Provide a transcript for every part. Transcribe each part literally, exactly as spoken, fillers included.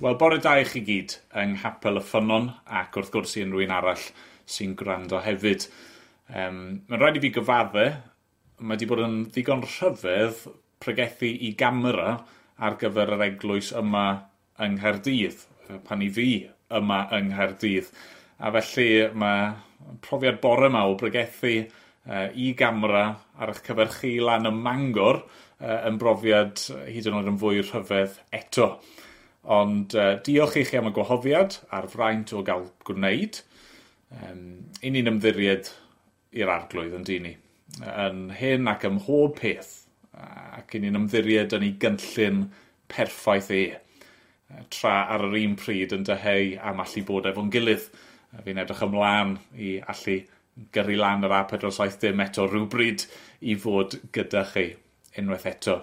Wel, bore da i chi gyd yng Nghapel y Ffynnon ac wrth gwrs i unrhyw un arall sy'n gwrando hefyd. Um, mae'n rhaid i fi gyfadde, mae wedi bod yn ddigon rhyfedd pregethu i gamera ar gyfer yr eglwys yma yng Nghaerdydd, pan i fi yma yng Nghaerdydd. A felly mae profiad bore yma o bregethu uh, i gamera ar eich cyfer chi lan ym Mangor uh, yn brofiad hyd yn oed yn fwy rhyfedd eto. Ond uh, diolch i chi am y gwahoddiad a'r fraint o gael gwneud. Um, I ni'n ymddiried i'r arglwydd yn dyn ni. Yn hyn ac ym mhob peth. Ac i ni'n ymddiried yn ei gynllun perffaith e. Tra ar yr un pryd yn dyheu am allu bod efo'n gilydd. Fi'n edrych ymlaen i allu gyrru lan yr A pedwar saith dim eto rhywbryd i fod gyda chi unwaith eto.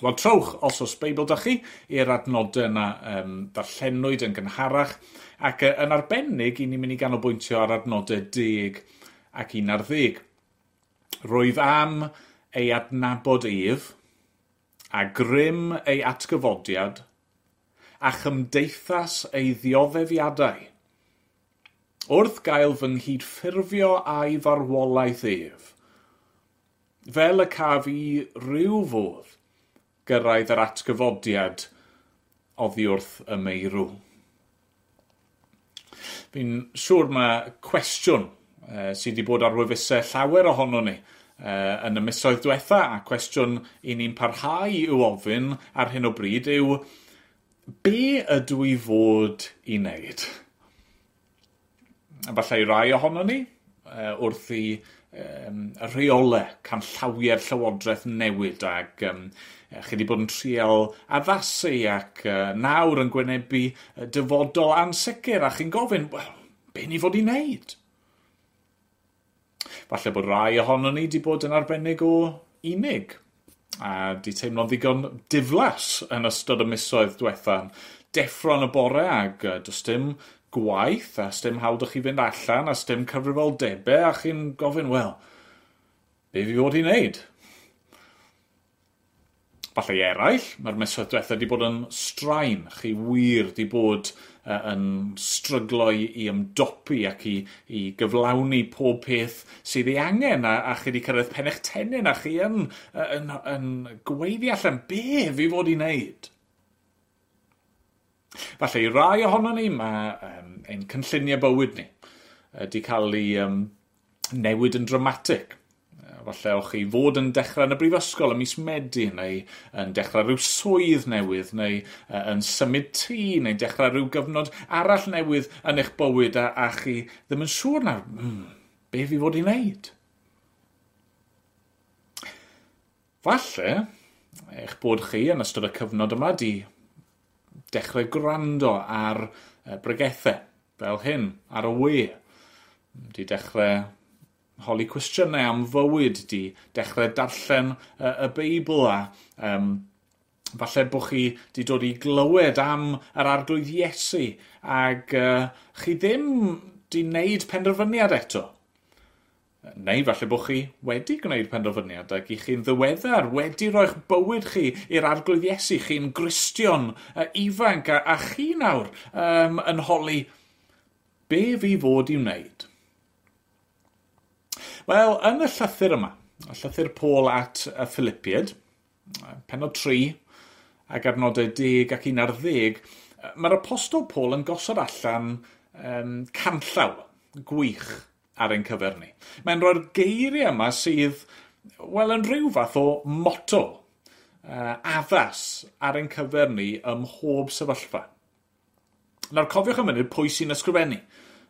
Wel, trowch, os oes Beibl da chi, i'r adnodau yna um, darllenwyd yn gynharach, ac uh, yn arbennig i ni'n mynd i ganolbwyntio ar adnodau deg ac un ar ddeg. Rwyf am ei adnabod ef, a grym ei atgyfodiad, a chymdeithas ei ddioddefiadau, wrth gael fy nghydffurfio a'i farwolaeth ef, fel y caf i ryw fodd gyrraedd yr atgyfodiad oddi wrth y meirw. Fi'n siŵr mae cwestiwn eh, sydd wedi bod ar wefusau llawer ohono ni eh, yn y misoedd diwetha, a cwestiwn i ni'n parhau i'w ofyn ar hyn o bryd yw, be ydw i fod i wneud? A falle i rai ohono ni, eh, wrth i um, y rheolau canllawiau'r llywodraeth newid ac um, chi wedi bod yn trial addasu ac uh, nawr yn gwynebu dyfodol ansicr a chi'n gofyn, wel, be ni fod i wneud? Falle bod rai ohono ni wedi bod yn arbennig o unig a di teimlo'n ddigon diflas yn ystod y misoedd diwetha. Deffro yn y bore ac uh, does dim gwaith a sdim hawl 'da chi fynd allan a sdim cyfrifoldebau a chi'n gofyn, wel, be fi fod i wneud? Falle i eraill, mae'r misoedd diwetha wedi bod yn straen. Chi wir wedi bod uh, yn stryglo i, i ymdopi ac i, i gyflawni pob peth sydd ei angen a, a chi wedi cyrraedd pen eich tennyn a chi yn, yn, yn, yn gweiddi allan be fi fod i wneud. Falle i rai ohono ni, mae um, ein cynlluniau bywyd ni wedi cael ei um, newid yn dramatig. Falle o'ch chi fod yn dechrau yn y brifysgol ym mis Medi, neu yn dechrau rhyw swydd newydd, neu uh, yn symud tŷ, neu dechrau rhyw gyfnod arall newydd yn eich bywyd, a, a chi ddim yn siŵr nawr, mm, be fi fod i wneud? Falle eich bod chi yn ystod y cyfnod yma di dechrau gwrando ar bregethau fel hyn, ar y we. Di dechrau holi cwestiynau am fywyd, di dechrau darllen y, y Beibl a um, falle bod chi di dod i glywed am yr arglwydd Iesu ac uh, chi ddim di wneud penderfyniad eto. Neu falle bod chi wedi gwneud penderfyniad ac i chi'n ddiweddar wedi roi'ch bywyd chi i'r arglwydd Iesu, chi'n Gristion uh, ifanc a, a chi nawr um, yn holi be fi fod i wneud? Wel, yn y llythyr yma, y llythyr Paul at y Philippiaid, pennod tri ac adnodau deg ac un ar ddeg, mae'r apostol Paul yn gosod allan um, canllaw gwych ar ein cyfer ni. Mae'n rhoi'r geiriau yma sydd, wel, yn rhyw fath o motto uh, addas ar ein cyfer ni ym mhob sefyllfa. Nawr, cofiwch am munud pwy sy'n ysgrifennu.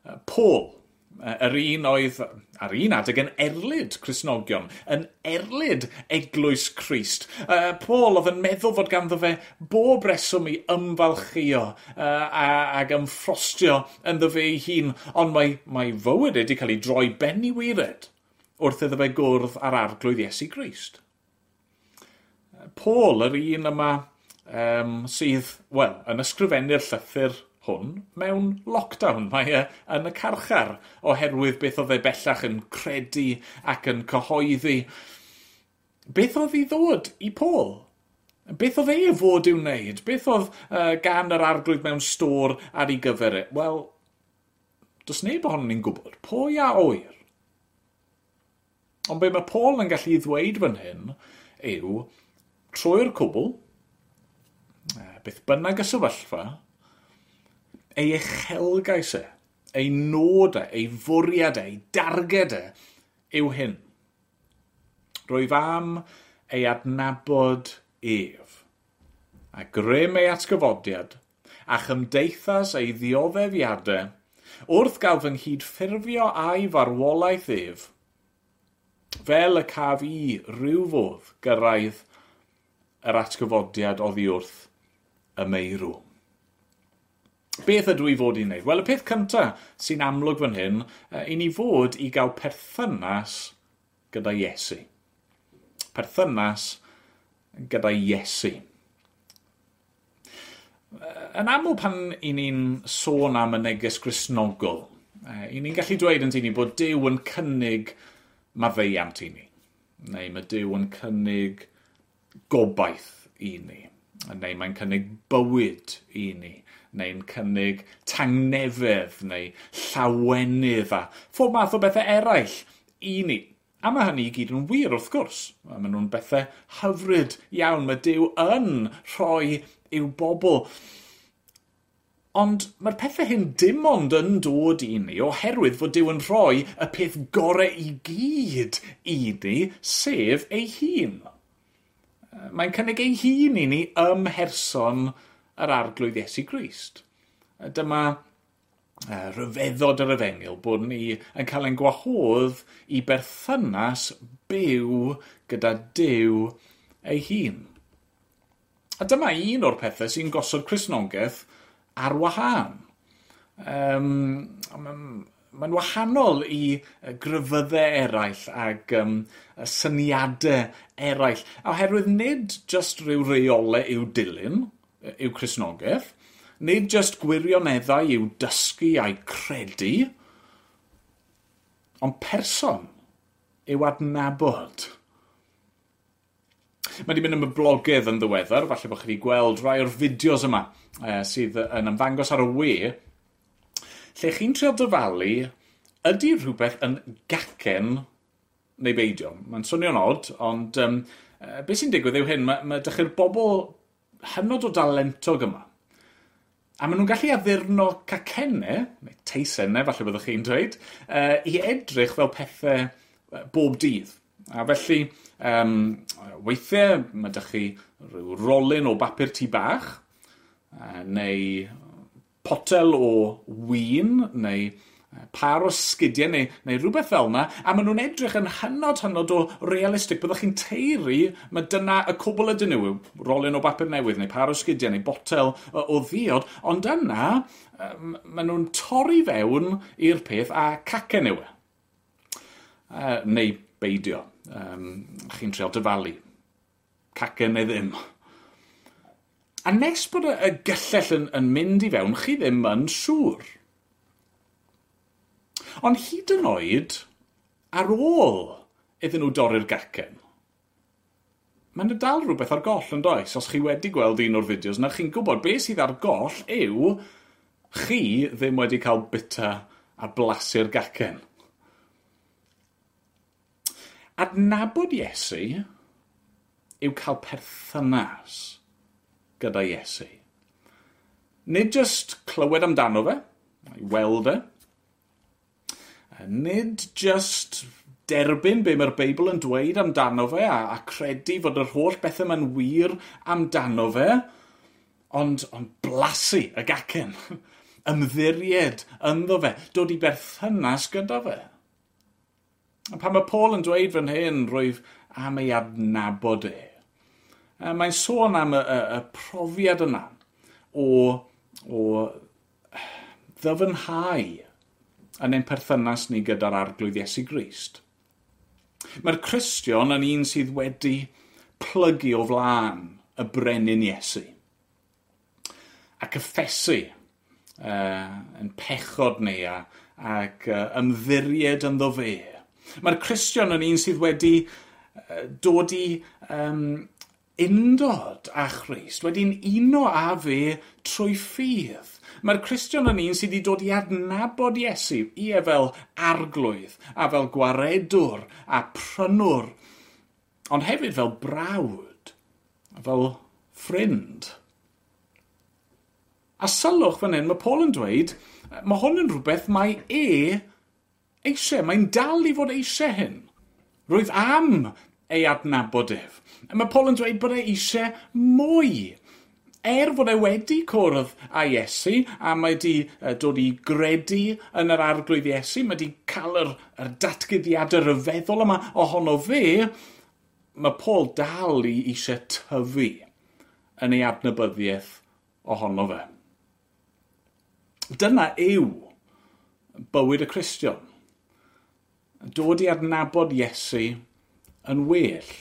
Uh, Paul, yr un oedd ar un adeg yn erlid Cristnogion, yn erlid Eglwys Crist. Uh, Paul oedd yn meddwl fod ganddo fe bob reswm i ymfalchio uh, ag ymffrostio ynddo fe ei hun, ond mae, mae fywyd wedi cael ei droi ben i waered wrth iddo fe gwrdd â'r arglwydd Iesu Grist. Paul, yr un yma um, sydd, wel, yn ysgrifennu'r llythyr hwn mewn lockdown. Mae e yn y carchar oherwydd beth oedd e bellach yn credu ac yn cyhoeddi. Beth oedd i ddod i Paul? Beth oedd e fod i'w wneud? Beth oedd uh, gan yr Arglwydd mewn stôr ar ei gyfer e? Wel, does neb ohonon ni'n gwybod. Pwy a ŵyr? Ond be mae Paul yn gallu ddweud fan hyn yw, trwy'r cwbl, beth bynnag y sefyllfa, ei uchelgais e, ei nod e, ei fwriad e, ei darged e, yw hyn. Rwyf am ei adnabod ef, a grym ei atgyfodiad, a chymdeithas ei ddioddefiadau, wrth gael fy nghydffurfio a'i farwolaeth ef, fel y caf i ryw fodd gyrraedd yr atgyfodiad oddi wrth y meirw. Beth ydw i fod i wneud? Wel, y peth cyntaf sy'n amlwg fan hyn, i ni fod i gael perthynas gyda Iesu. Perthynas gyda Iesu. Yn aml pan i ni'n sôn am y neges Gristnogol, i ni'n gallu dweud yn ni bod Duw yn cynnig maddeuant i ni, neu mae Duw yn cynnig gobaith i ni, neu mae'n cynnig bywyd i ni, neu'n cynnig tangnefedd, neu llawenydd a phob math o bethau eraill i ni. A mae hynny i gyd yn wir wrth gwrs. Maen nhw'n bethau hyfryd iawn. Mae Duw yn rhoi i'w bobl. Ond mae'r pethau hyn dim ond yn dod i ni oherwydd fod Duw yn rhoi y peth gorau i gyd i ni, sef ei hun. Mae'n cynnig ei hun i ni ym mherson yr Arglwydd Iesu Grist. Dyma rhyfeddod yr efengyl, bod ni yn cael ein gwahodd i berthynas byw gyda Duw ei hun. A dyma un o'r pethau sy'n gosod Cristnogaeth ar wahân. Um, Mae'n wahanol i grefyddau eraill ac um, syniadau eraill. Oherwydd nid jyst rhyw reolau i'w dilyn, yw Cristnogaeth, nid jyst gwirioneddau i'w dysgu a'i credu, ond person yw adnabod. Mae wedi mynd yn boblogaidd yn ddiweddar, falle bod chi wedi gweld rai o'r fideos yma eh, sydd yn ymddangos ar y we, lle chi'n trio dyfalu ydy rhywbeth yn gacen neu beidio. Mae'n swnio'n od, ond um, beth sy'n digwydd yw hyn, mae, mae dych chi'r bobl hynod o dalentog yma. A maen nhw'n gallu addurno cacennau, neu teisennau, falle byddwch chi'n dweud, uh, i edrych fel pethau bob dydd. A felly, um, weithiau mae dych chi rhyw rolyn o bapur tŷ bach, uh, neu potel o win, neu par o sgidiau, neu, neu rhywbeth fel yna, a maen nhw'n edrych yn hynod, hynod o realistig. Byddwch chi'n teiri, mae dyna y cwbl ydyn nhw, rolyn o bapur newydd, neu par o sgidiau, neu botel o, o ddiod, ond yna, maen nhw'n torri fewn i'r peth a cacen yw e. Uh, neu beidio. Um, chi'n trio dyfalu. Cacen neu ddim. A nes bod y, y gyllell yn, yn mynd i fewn, chi ddim yn siŵr. Ond hyd yn oed, ar ôl iddyn nhw dorri'r gacen, mae'n dal rhywbeth ar goll yn does? Os chi wedi gweld un o'r fideos, na chi'n gwybod beth sydd ar goll yw chi ddim wedi cael bita a blasu'r gacen. Adnabod Iesu yw cael perthynas gyda Iesu. Nid jyst clywed amdano fe, i weld e. Nid jyst derbyn be mae'r Beibl yn dweud amdano fe a, a credu fod yr holl bethau mae'n wir amdano fe, ond, ond blasu y gacen, ymddiried ynddo fe, dod i berthynas gyda fe. A pan mae Paul yn dweud fan hyn, rwyf am ei adnabod e. Mae'n sôn am y, y, y profiad yna o, o ddyfnhau yn ein perthynas ni gyda'r Arglwydd Iesu Grist. Mae'r Cristion yn un sydd wedi plygu o flaen y brenin Iesu a cyffesu uh, yn pechod ni a, ac uh, ymddiried ynddo fe. Mae'r Cristion yn un sydd wedi uh, dod i um, undod â Christ, wedi'n uno â fe trwy ffydd. Mae'r Cristion yn un sydd wedi dod i adnabod Iesu, ie fel arglwydd, a fel gwaredwr, a prynwr, ond hefyd fel brawd, fel ffrind. A sylwch fan hyn, mae Paul yn dweud, mae hwn yn rhywbeth mae e eisiau, mae'n dal i fod eisiau hyn. Rwyf am ei adnabod ef. Mae Paul yn dweud bod e eisiau mwy. Er fod e wedi cwrdd â Iesu, a mae wedi dod i gredu yn yr arglwydd Iesu, mae wedi cael yr, yr datguddiadau rhyfeddol yma ohono fe, mae Paul dal i eisiau tyfu yn ei adnabyddiaeth ohono fe. Dyna yw bywyd y Cristion. Dod i adnabod Iesu yn well.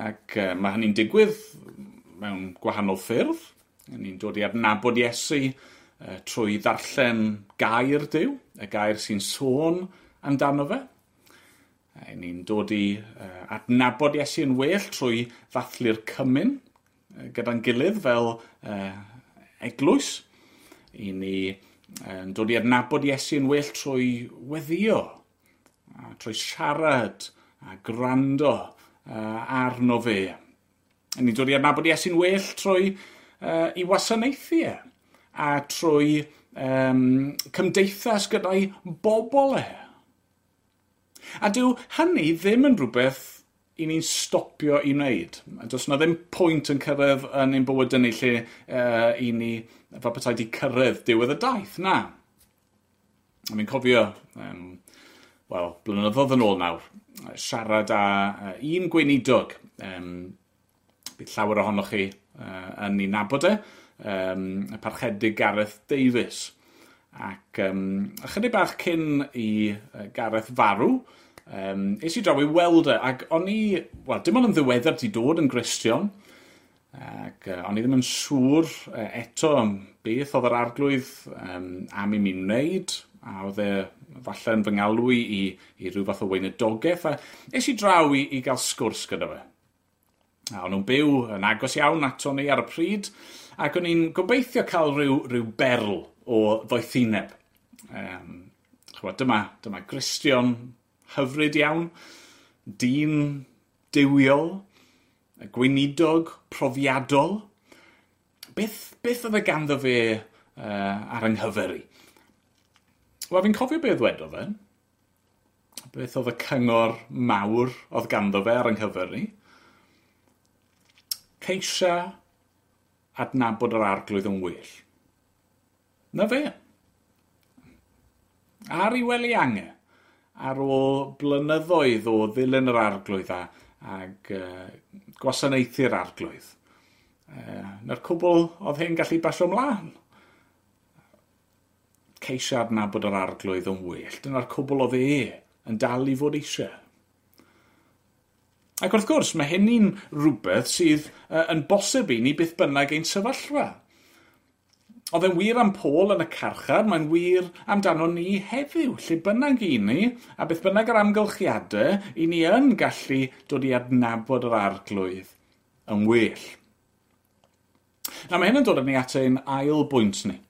Ac uh, mae hynny'n digwydd mewn gwahanol ffyrdd. Ni'n dod i adnabod Iesu uh, trwy ddarllen gair Duw, y gair sy'n sôn amdano fe. E, ni'n dod i uh, adnabod Iesu yn well trwy ddathlu'r cymun uh, gyda'n gilydd fel uh, eglwys. I ni uh, dod i adnabod Iesu yn well trwy weddïo, a trwy siarad a gwrando uh, arno fe. Ni'n dod i adnabod Iesu'n well trwy uh, i wasanaethu e, a trwy um, cymdeithas gyda'i bobl e. A dyw hynny ddim yn rhywbeth i ni'n stopio i wneud. Does yna ddim pwynt yn cyrraedd yn ein bywyd ni lle uh, i ni fel petai di cyrraedd diwedd y daith, na. A fi'n cofio, um, wel, blynyddoedd yn ôl nawr, siarad â un gweinidog, um, bydd llawer ohonoch chi uh, yn ei nabod e, um, y parchedig Gareth Davies. Ac um, ychydig bach cyn i Gareth farw, um, es i draw i weld e, ac o'n i, wel, dim ond yn ddiweddar di dod yn Gristion, ac uh, o'n i ddim yn siŵr uh, eto beth oedd yr arglwydd um, am i mi wneud, a oedd e falle yn fy ngalw i, i, i rhyw fath o weinidogaeth, a es i draw i, i gael sgwrs gyda fe. A o'n nhw'n byw yn agos iawn ato ni ar y pryd, ac o'n i'n gobeithio cael rhyw, rhyw berl o ddoethineb. Um, chwa, dyma, dyma Gristion hyfryd iawn, dyn duwiol, gweinidog profiadol. Beth, beth oedd e ganddo fe uh, ar yng nghyfer i? Wel, fi'n cofio beth ddwedodd e. Beth oedd y cyngor mawr oedd ganddo fe ar yng nghyfer ni? Ceisia adnabod yr arglwydd yn well. Na fe. Ar ei wely ange, ar ôl blynyddoedd o ddilyn yr arglwydd a, ag uh, gwasanaethu'r arglwydd. Uh, na'r cwbl oedd hyn gallu basio ymlaen. Ceisio adnabod yr arglwydd yn well. Dyna'r cwbl oedd e yn dal i fod eisiau. Ac wrth gwrs, mae hynny'n rhywbeth sydd uh, yn bosib i ni beth bynnag ein sefyllfa. Oedd e'n wir am Paul yn y carchar, mae'n wir amdano ni heddiw, lle bynnag i ni, a beth bynnag yr amgylchiadau, i ni yn gallu dod i adnabod yr arglwydd yn well. Na, mae hyn yn dod â ni at ein ail bwynt ni.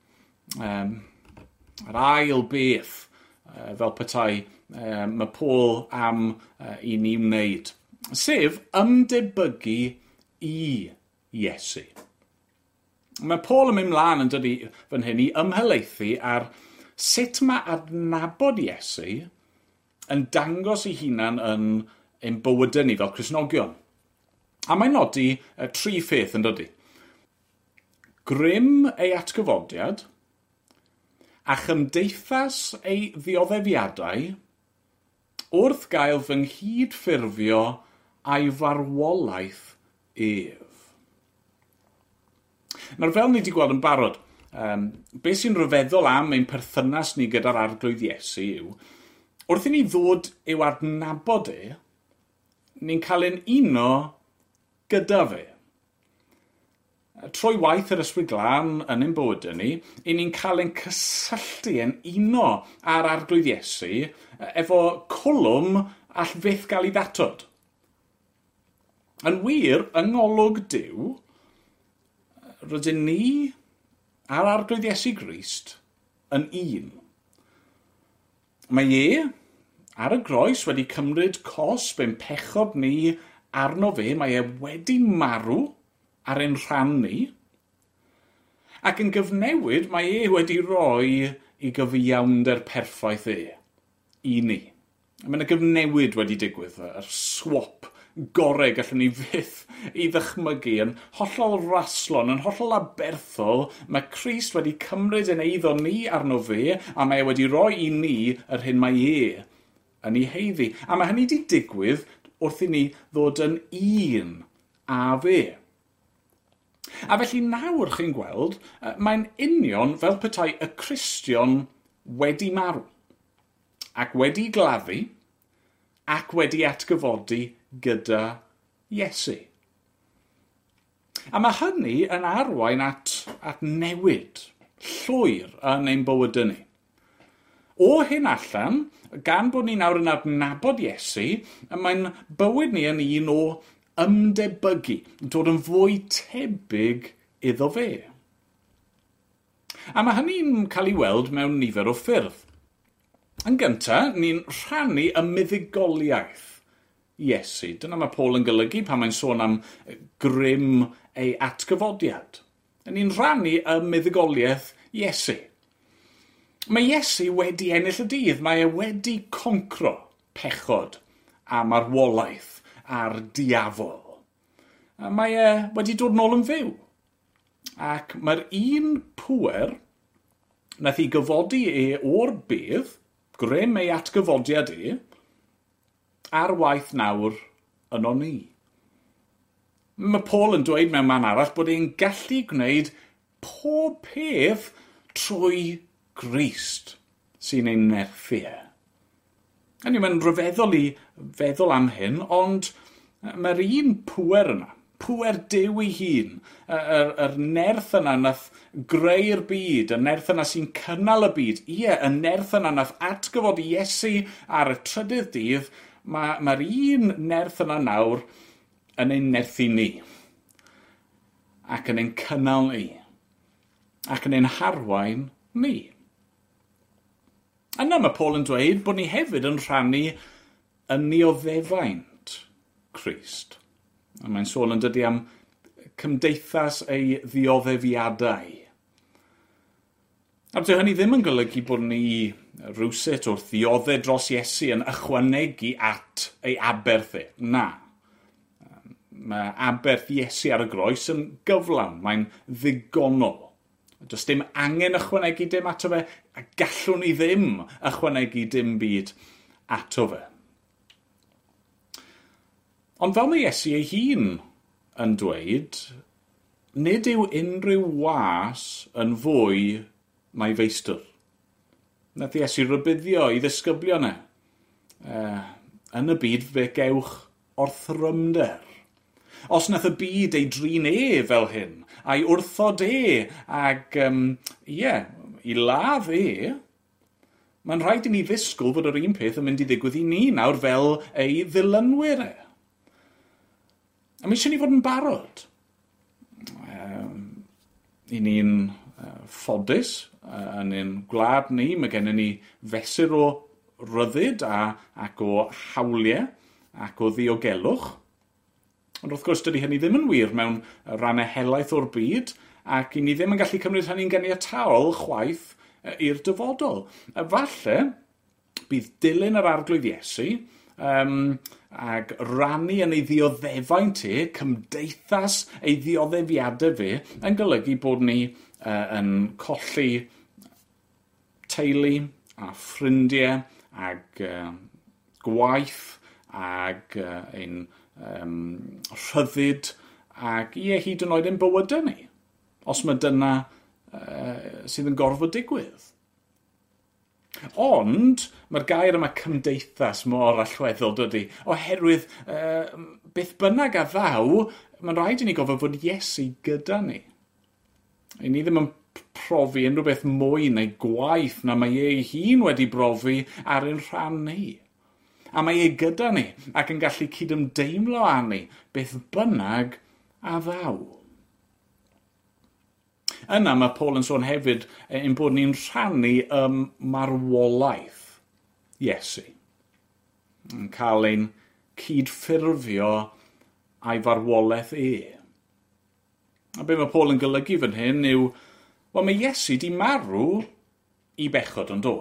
Um, yr ail beth, uh, fel petai, uh, mae Paul am uh, i ni wneud, sef ymdebygu i Iesu. Mae Paul yn mynd mlaen yn dod i fan hyn i ymhelaethu ar sut mae adnabod Iesu yn dangos ei hunan yn ein bywydau ni fel Cristnogion. A mae'n nodi uh, tri pheth yn dydi. Grym ei atgyfodiad, a chymdeithas ei ddioddeffiadau wrth gael fy nghydffurfio a'i farwolaeth ef. Nawr, fel ni wedi gweld yn barod, um, beth sy'n rhyfeddol am ein perthynas ni gyda'r arglwydd Iesu yw, wrth i ni ddod i'w adnabod e, ni'n cael ein uno gyda fe. Trwy waith yr Ysbryd Glân yn ein bywydau ni, i ni'n cael ein cysylltu, yn uno â'r arglwydd Iesu efo cwlwm all fyth gael ei ddatod. Yn wir, yng ngolwg Duw, rydyn ni a'r Arglwydd Iesu Grist yn un. Mae e ar y groes wedi cymryd cosb ein pechod ni arno fe, mae e wedi marw ar ein rhan ni, ac yn gyfnewid mae e wedi rhoi i gyfiawnder perffaith e i ni. Mae yna gyfnewid wedi digwydd, yr swap gorau gallwn ni fyth i ddychmygu, yn hollol raslon, yn hollol aberthol, mae Crist wedi cymryd ein eiddo ni arno fe, a mae e wedi rhoi i ni yr hyn mae e yn ei heiddi. A mae hynny wedi digwydd wrth i ni ddod yn un â fe. A felly nawr chi'n gweld, mae'n union fel petai y Cristion wedi marw, ac wedi gladdu, ac wedi atgyfodi gyda Iesu. A mae hynny yn arwain at, at newid llwyr yn ein bywydau ni. O hyn allan, gan bod ni nawr yn adnabod Iesu, mae'n bywyd ni yn un o ymdebygu, dod yn fwy tebyg iddo fe. A mae hynny'n cael ei weld mewn nifer o ffyrdd. Yn gyntaf, ni'n rhannu y muddugoliaeth Iesu. Dyna mae Paul yn golygu pan mae'n sôn am grym ei atgyfodiad. Ni'n rhannu y muddugoliaeth Iesu. Mae Iesu wedi ennill y dydd. Mae e wedi concro pechod a marwolaeth a'r diafol. Mae e wedi dod nôl yn fyw. Ac mae'r un pŵer nath i gyfodi e o'r bedd, grym ei atgyfodiad e, ar waith nawr yno ni. Mae Paul yn dweud mewn man arall bod e'n gallu gwneud pob peth trwy Grist sy'n ein nerthu e. Hynny, mae'n rhyfeddol i feddwl am hyn, ond mae'r un pŵer yna, pŵer Duw ei hun, yr, yr nerth yna nath greu'r byd, y nerth yna sy'n cynnal y byd, ie, y nerth yna nath atgyfodi Iesu ar y trydydd dydd, mae'r ma un nerth yna nawr yn ein nerthu ni, ac yn ein cynnal ni, ac yn ein harwain ni. Yna mae Paul yn dweud bod ni hefyd yn rhannu yn nioddefaint Crist. A mae'n sôn yn dydy am cymdeithas ei ddioddefiadau. A dyw hynny ddim yn golygu bod ni rywsut wrth ddioddef dros Iesu yn ychwanegu at ei aberth e. Na. Mae aberth Iesu ar y groes yn gyflawn, mae'n ddigonol. Does dim angen ychwanegu dim ato fe, a gallwn ni ddim ychwanegu dim byd ato fe. Ond fel mae Iesu ei hun yn dweud, nid yw unrhyw was yn fwy na'i feistr. Nath Iesu rybuddio i ddisgyblion e. Uh, yn y byd fe gewch orthrymder. Os nath y byd ei drin e fel hyn, a'i wrthod e, ag, um, ie, i ladd e, mae'n rhaid i ni ddisgwyl fod yr un peth yn mynd i ddigwydd i ni nawr fel ei ddilynwyr e. A mae eisiau ni fod yn barod. Um, I ni'n uh, ffodus uh, yn ein gwlad ni, mae gennym ni fesur o ryddid a, ac o hawliau ac o ddiogelwch. Ond wrth gwrs, dydy hynny ddim yn wir mewn rannau helaeth o'r byd, ac i ni ddim yn gallu cymryd hynny'n ganiataol chwaith i'r dyfodol. A falle bydd dilyn yr Arglwydd Iesu um, ac rannu yn ei ddioddefaint e, cymdeithas ei ddioddefiadau fe, yn golygu bod ni uh, yn colli teulu a ffrindiau ag uh, gwaith ag uh, ein um, rhyddid ac ie, hyd yn oed ein bywydau ni, os mae dyna uh, sydd yn gorfod digwydd. Ond mae'r gair yma cymdeithas mor allweddol, dydy, oherwydd uh, beth bynnag a ddaw, mae'n rhaid i ni gofio fod Iesu gyda ni. I ni ddim yn profi unrhyw beth mwy neu gwaith na mae ei hun wedi brofi ar ein rhan ni. A mae e gyda ni ac yn gallu cydymdeimlo â ni beth bynnag a ddaw. Yna mae Paul yn sôn hefyd ein bod ni'n rhannu ym marwolaeth Iesu. Yn cael ein cydffurfio a'i farwolaeth e. A be mae Paul yn golygu fan hyn yw, wel, mae Iesu di marw i bechod, yn do.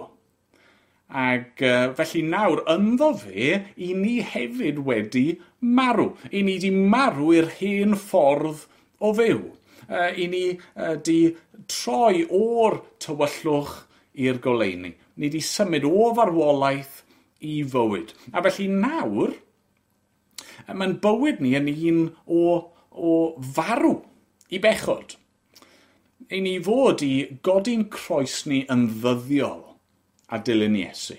Ac uh, felly nawr, ynddo fe, i ni hefyd wedi marw. I ni di marw i'r hen ffordd o fyw. Uh, I ni uh, di troi o'r tywyllwch i'r goleuni. Ni di symud o farwolaeth i fywyd. A felly nawr, mae'n bywyd ni yn un o, o farw i bechod. I ni fod i godi'n croes ni yn ddyddiol a dilyn Iesu.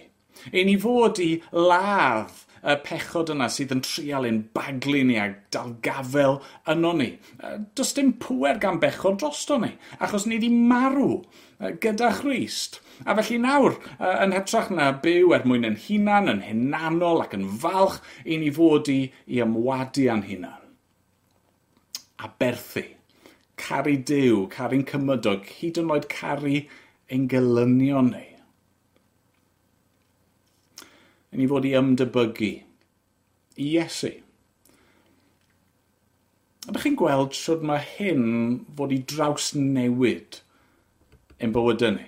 I ni fod i ladd y pechod yna sydd yn trial ein baglu ni a dal gafel yno ni. Does dim pŵer gan bechod drosto ni, achos ni wedi marw gyda Christ. A felly nawr, yn hytrach na byw er mwyn yn hunan, yn hunanol ac yn falch, i ni fod i, i ymwadu â'n hunan. A berthu, caru Duw, caru'n cymydog, hyd yn oed caru ein gelynion ni. I ni fod i ymdebygu i Iesu. Ydych chi'n gweld sut mae hyn fod i drawsnewid ein bywydau ni?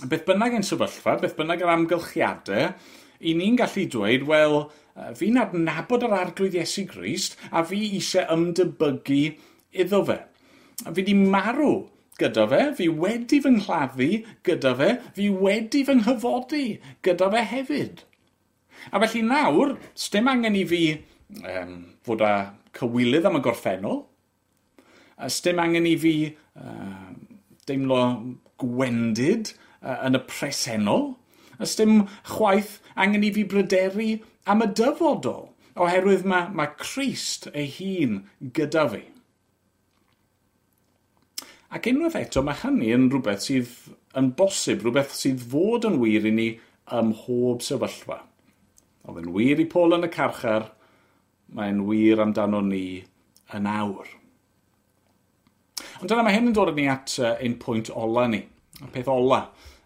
Beth bynnag ein sefyllfa, beth bynnag yr amgylchiadau, i ni'n gallu dweud, wel, fi'n adnabod yr Arglwydd Iesu Grist a fi eisiau ymdebygu iddo fe. Fi wedi marw gyda fe, fi wedi fy nghladdu gyda fe, fi wedi fy nghyfodi gyda fe hefyd. A felly nawr, sdim angen i fi um, fod â cywilydd am y gorffennol, sdim angen i fi uh, deimlo gwendid uh, yn y presennol, sdim chwaith angen i fi bryderu am y dyfodol, oherwydd mae, mae Crist ei hun gyda fi. Ac unwaith eto, mae hynny yn rhywbeth sydd yn bosib, rhywbeth sydd fod yn wir i ni ym mhob sefyllfa. Oedd yn wir i Paul yn y carchar, mae'n wir amdano ni yn awr. Ond dyna mae hyn yn dod â ni at ein pwynt ola ni, y peth ola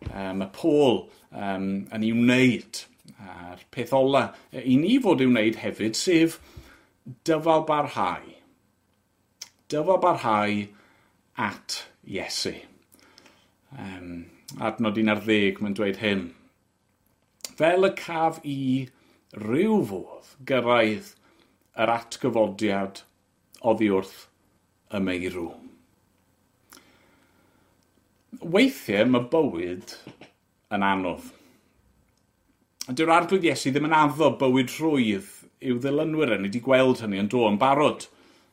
um, mae Paul um, yn ei wneud. A'r peth ola i ni fod i'w wneud hefyd, sef dyfal barhau. Dyfal barhau at Iesu. Um, adnod un ar ddeg, mae'n dweud hyn. Fel y caf i ryw fodd gyrraedd yr atgyfodiad oddi wrth y meirw. Weithiau mae bywyd yn anodd. Dyw'r Arglwydd Iesu ddim yn addo bywyd rhwydd i'w ddilynwyr. Ni wedi gweld hynny yn do yn barod.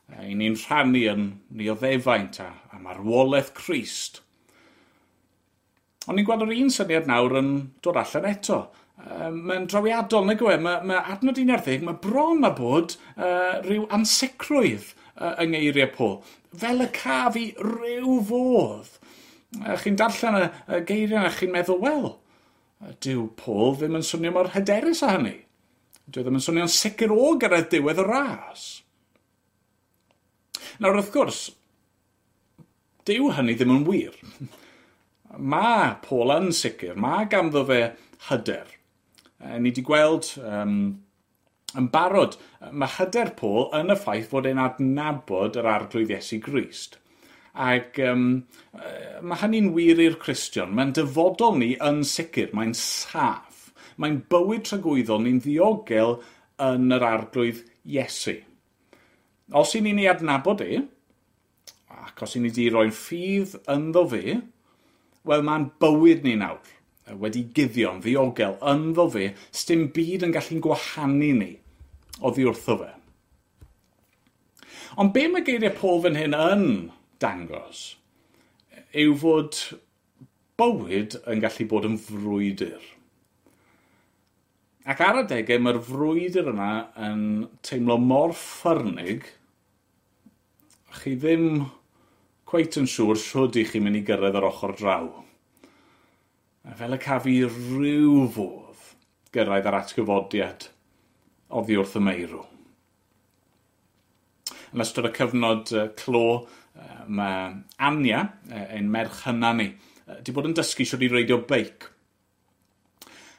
I ni'n rhannu yn nioddefaint a, a marwolaeth Crist. Ond ni'n gweld yr un syniad nawr yn dod allan eto. Mae'n drawiadol, nag yw e? Mae, mae adnod un ar ddeg, mae bron a bod uh, rhyw ansicrwydd uh, yng ngeiriau Paul. Fel y caf i ryw fodd. Uh, chi'n darllen y, y geiriau a chi'n meddwl, wel, dyw Paul ddim yn swnio mor hyderus â hynny. Dyw ddim yn swnio'n sicr o gyrraedd diwedd y ras. Nawr, wrth gwrs, dyw hynny ddim yn wir. Mae Paul yn sicr, mae ganddo fe hyder. Ni wedi gweld um, yn barod, mae hyder Paul yn y ffaith fod e'n adnabod yr Arglwydd Iesu Grist. Ac um, mae hynny'n wir i'r Cristion. Mae'n dyfodol ni yn sicr, mae'n saff. Mae'n bywyd tragwyddol ni'n ddiogel yn yr Arglwydd Iesu. Os i ni'n ei adnabod e, ac os i ni wedi roi'n ffydd ynddo fe, wel, mae'n bywyd ni nawr, wedi guddio'n ddiogel ynddo fe, sdim byd yn gallu'n gwahanu ni oddi wrtho fe. Ond be mae geiriau Paul fan hyn yn dangos yw fod bywyd yn gallu bod yn frwydr. Ac ar adegau mae'r frwydr yna yn teimlo mor ffyrnig, chi ddim cweit yn siŵr shwd i chi'n mynd i gyrraedd yr ochr draw. A fel y caf i ryw fodd gyrraedd yr atgyfodiad oddi wrth y meirw. Yn ystod y cyfnod clo, mae Anya, ein merch hynna ni, wedi bod yn dysgu sut i reidio beic.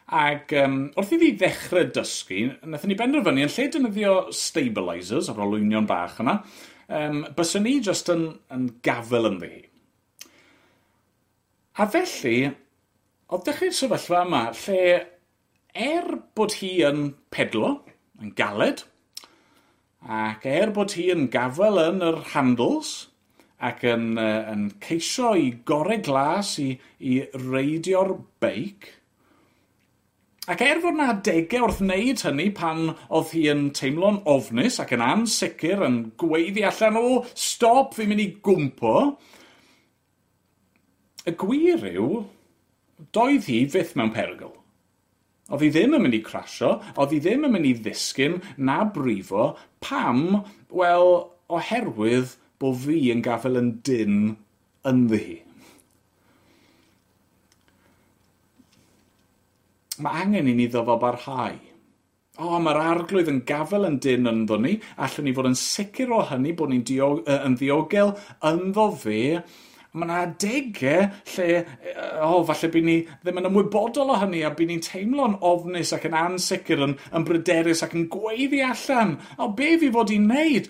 Ac um, wrth iddi ddechrau dysgu, wnaethon ni benderfynu yn lle defnyddio stabilisers, o'r olwynion bach yna, um, byswn ni jyst yn, yn gafel ynddi hi. A felly, oedd dechrau'r sefyllfa yma lle er bod hi yn pedlo, yn galed, ac er bod hi yn gafel yn yr handles, ac yn, uh, yn ceisio i gorau glas i, i reidio'r beic, ac er fod 'na adegau wrth wneud hynny pan oedd hi yn teimlo'n ofnus ac yn ansicr, yn gweiddi allan, o, stop, fi'n mynd i gwmpo, y gwir yw, doedd hi fyth mewn perygl. Oedd hi ddim yn mynd i crasio, oedd hi ddim yn mynd i ddisgyn na brifo. Pam? Wel, oherwydd bod fi yn gafael yn dynn ynddi hi. Mae angen i ni ddyfal barhau. O, mae'r arglwydd yn gafael yn dynn ynddo ni. Allwn ni fod yn sicr o hynny bod ni'n diog- yn ddiogel ynddo fe. Mae yna adegau lle, o, oh, falle bydd ni ddim yn ymwybodol o hynny a bydd ni'n teimlo'n ofnus ac yn ansicr, yn, yn bryderus ac yn gweiddi allan. O, be fi fod i'n wneud?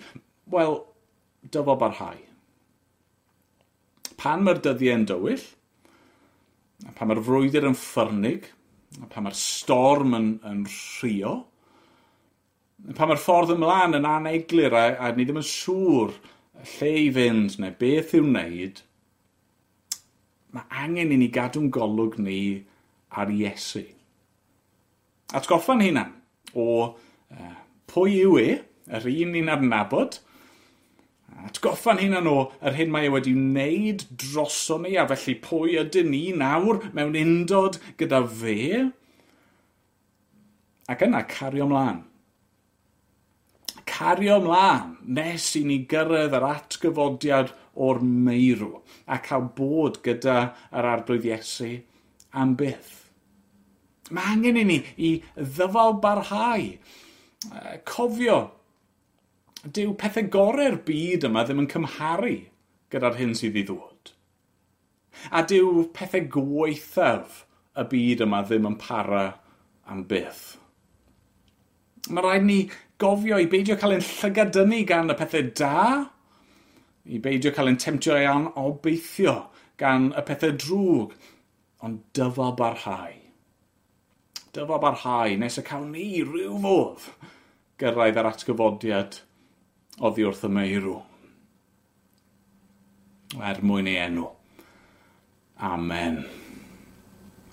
Wel, dyfal barhau. Pan mae'r dyddiau yn dywyll, pan mae'r frwydr yn ffyrnig, pan mae'r storm yn, yn rhuo, pan mae'r ffordd ymlaen yn aneglur a, a ni ddim yn siŵr lle i fynd neu beth i'w wneud, mae angen i ni gadw'n golwg ni ar Iesu. Atgoffa'n hunan o uh, pwy yw e, yr un ni'n adnabod, atgoffa'n hunan o yr hyn mae e wedi wneud droson ni, a felly pwy ydyn ni nawr mewn undod gyda fe, ac yna cario ymlaen. Cario ymlaen nes i ni gyrraedd yr atgyfodiad o'r meirw a cael bod gyda yr arglwydd Iesu am byth. Mae angen i ni i ddyfal barhau. Cofio, dyw pethau gorau'r byd yma ddim yn cymharu gyda'r hyn sydd i ddod. A dyw pethau gwaethaf y byd yma ddim yn para am byth. Mae rhaid ni gofio i beidio cael ein llygad-dynnu gan y pethau da, i beidio cael ein temtio i anobeithio gan y pethau drwg, ond dyfal barhau. Dyfal barhau nes y cawn ni ryw fodd gyrraedd yr atgyfodiad oddi wrth y meirw. Er mwyn ei enw. Amen.